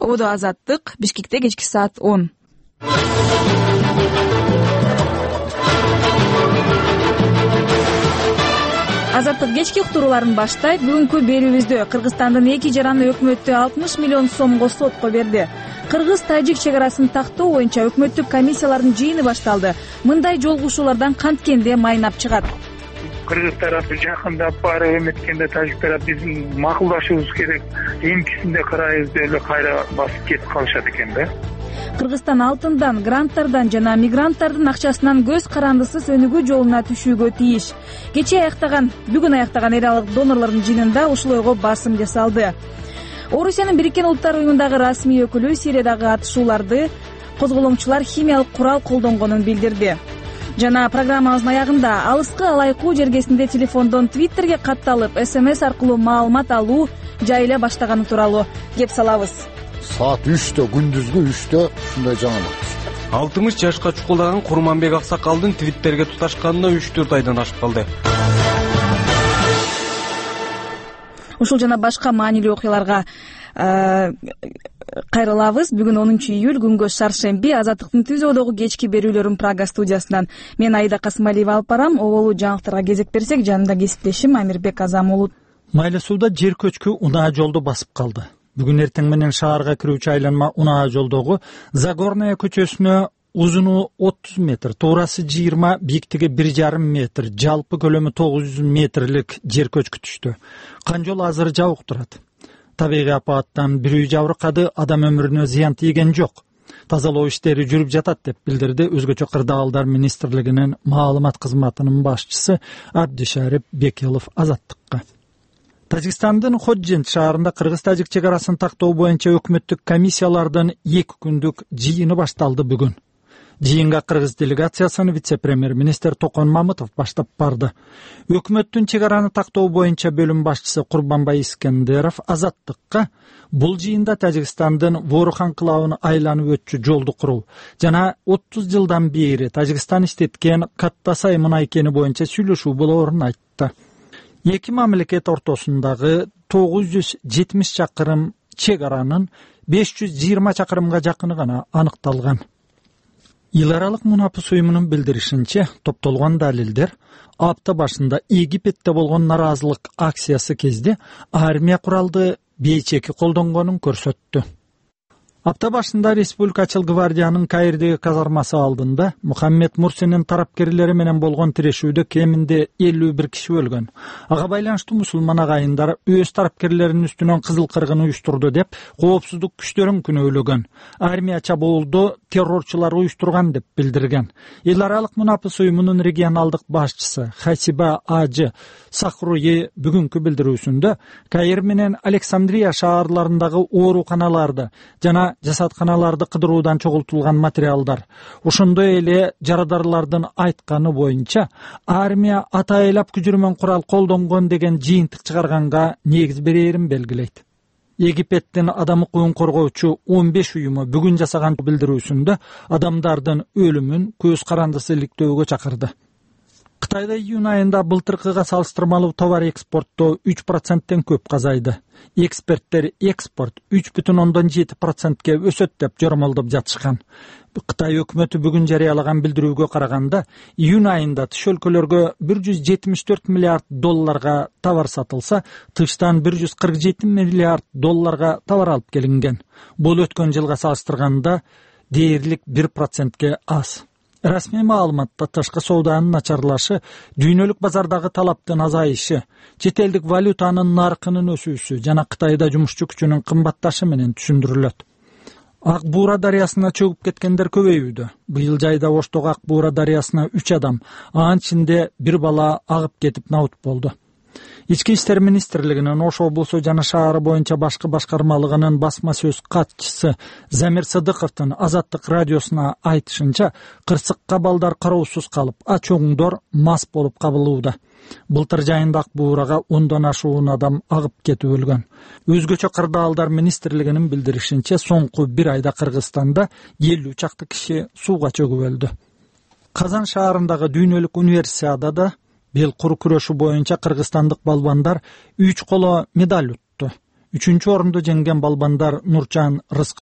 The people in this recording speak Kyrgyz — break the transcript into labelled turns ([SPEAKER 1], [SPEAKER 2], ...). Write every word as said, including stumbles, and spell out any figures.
[SPEAKER 1] Ободо Азаттык, Бишкекте кечки саат он. Азаттык кечки уктурууларын баштайт. Бүгүнкү берүүбүздө Кыргызстандын эки жараны өкмөтү алтымыш миллион сомго сотко берди. Кыргыз-тажик чегарасын тактоо боюнча өкмөттүк комиссиялардын жыйыны башталды. Мындай жолугушуулардан канткенде майнап чыгат.
[SPEAKER 2] Кыргыз тарапы жакындап барып эметкенде тажик тарап биздин макулдашуубуз керек. Эмкисинде карайбыз деп эле кайра басып кетип калышат экен да.
[SPEAKER 1] Кыргызстан алтындан, гранттардан жана мигранттардын акчасынан көз карандысыз өнүгүү жолуна түшүүгө тийиш. Кечээ аяктаган, бүгүн аяктаган эл аралык донорлордун жыйынында ушул ойго басым жасалды. Орусиянын Бириккен Улуттар уюмундагы расмий өкүлү Сириядагы атышууларды козголоңчулар химиялык курал колдонгонун билдирди. Жана программабыздын аягында алыскы алайкуу жергесинде телефондон Твиттерге катталып, СМС аркылуу маалымат алуу жайыла баштаганы тууралуу кеп салабыз.
[SPEAKER 3] Саат үчтө, күндүзгү үчтө ушундай жаңылык.
[SPEAKER 4] алтымыш жашка чукулдаган Курманбек Аксакалдын Твиттерге туташканына үч төрт айдан ашып калды.
[SPEAKER 1] Ушул жана башка маанилүү окуяларга кайрылабыз. Бүгүн онунчу июль, күнгө шаршемби. Азаттыктын түз ободогу кечки берүүлөрүн Прага студиясынан мен Аида Касымалиева алып барам. Оболу жаңылыктарга кезек берсек, жанымда кесиптешим Амирбек Азам уулу.
[SPEAKER 5] Майла сууда жер көчкү унаа жолду басып калды. Бүгүн эртең менен шаарга кирүүчү айланма унаа жолдогу Загорная көчөсүнө узуну отуз метр, туурасы жыйырма, бийиктиги бир жарым метр, жалпы көлөмү тогуз жүз метрлик жер көчкү түштү. Канжол азыр жабык турат. Табигый апаттан бир үй жабыркады, адам өмүрүнө зыян тийген жок. Тазалоо иштери жүрүп жатат деп билдирди Өзгөчө кырдаалдар министрлигинин маалымат кызматынын башчысы Абдишарип Бекелов Азаттыкка. Тажикстандын Ходжент шаарында кыргыз-тажик чегарасын тактоо боюнча өкмөттүк комиссиялардын эки күндүк жыйыны башталды бүгүн. Жыйынга кыргыз делегациясын вице-премьер-министр Токон Мамытов баштап барды. Өкмөттүн чегараны тактоо боюнча бөлүм башчысы Курбанбай Искендеров Азаттыкка бул жыйында Тажикстандын Ворухан кылабын айланып өтчү жолду куруу жана отуз жылдан бери Тажикстан иштеткен Каттасай мынай кени боюнча сүйлөшүү болоорун айтты. Эки мамлекет ортосундагы тогуз жүз жетимиш чакырым чегаранын беш жүз жыйырма чакырымга жакыны гана аныкталган. Эл аралык мунапыс уюмунун билдиришинче, топтолгон далилдер апта башында Египетте болгон наразылык акциясы кезде армия куралды бейчеки колдонгонун көрсөттү. Апта башында Республикачыл гвардиянын Каирдеги казармасы алдында Мухаммед Мурсинин тарапкерлери менен болгон тирешүүдө кеминде элүү бир киши өлгөн. Ага байланыштуу мусулман агайындар өз тарапкерлеринин үстүнөн кызыл кыргын уюштурду деп коопсуздук күчтөрүн күнөөлөгөн. Армия чабуулду террорчулар уюштурган деп билдирген. Эл аралык мунапыс уюмунун регионалдык башчысы Хасиба Ажы Сахруи бүгүнкү билдирүүсүндө Каир менен Александрия шаарларындагы ооруканаларды жана жасатканаларды кыдыруудан чогултулган материалдар, ошондой эле жарадарлардын айтканы боюнча армия атайлап күчүрмөн курал колдонгон деген жыйынтык чыгарганга негиз берерин белгилейт. Египеттин адам укугун коргоочу он беш уюму бүгүн жасаган билдирүүсүндө адамдардын өлүмүн көз карандысы иликтөөгө чакырды. Кытайда июнь айында былтыркыга салыштырмалуу товар экспорттоо үч проценттен көп азайды. Эксперттер экспорт үч бүтүн ондон жети процентке өсөт деп жормолдоп жатышкан. Кытай өкмөтү бүгүн жарыялаган билдирүүгө караганда, июнь айында тыш өлкөлөргө бир жүз жетимиш төрт миллиард долларга товар сатылса, тыштан бир жүз кырк жети миллиард долларга товар алып келинген. Бул өткөн жылга салыштырганда дээрлик бир процентке аз. Расмий маалыматта тышкы сооданын начарлашы, дүйнөлүк базардагы талаптын азайышы, чет элдик валютанын наркынын өсүүсү жана Кытайда жумушчу күчүнүн кымбатташы менен түшүндүрүлөт. Ак Буура дарыясына чөгүп кеткендер көбөйүүдө. Быйыл жайда Оштогу Ак Буура дарыясына үч адам, анын ичинде бир бала агып кетип наут болду. Ички иштер министрлигинин Ош облусу жана шаары боюнча башкы башкармалыгынын басма сөз катчысы Замир Сыдыковдун Азаттык радиосуна айтышынча, кырсыкка балдар кароосуз калып, ачоңдор мас болуп кабылууда. Былтыр жайында Ак Буурага ондон ашуун адам агып кетип өлгөн. Өзгөчө кырдаалдар министрлигинин билдиришинче, соңку бир айда Кыргызстанда элүү чакты киши сууга чөгүп өлдү. Казан шаарындагы дүйнөлүк универсиадада бел кур күрөшү боюнча кыргызстандык балбандар үч коло медаль утту. Үчүнчү орунду жеңген балбандар Нурчан Рызкы